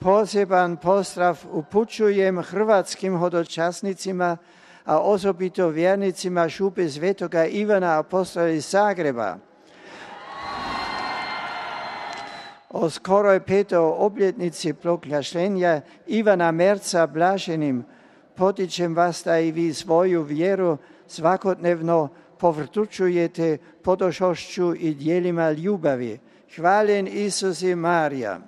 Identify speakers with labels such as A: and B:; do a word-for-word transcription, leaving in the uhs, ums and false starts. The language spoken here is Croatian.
A: Poseban pozdrav upućujem hrvatskim hodočasnicima, a osobito vjernicima župe Svetoga Ivana Apostola iz Zagreba. O skoroj petoj obljetnici proglašenja Ivana Merca blaženim potičem vas da i vi svoju vjeru svakodnevno povrtučujete podošošću i dijelima ljubavi. Hvaljen Isus i Marija.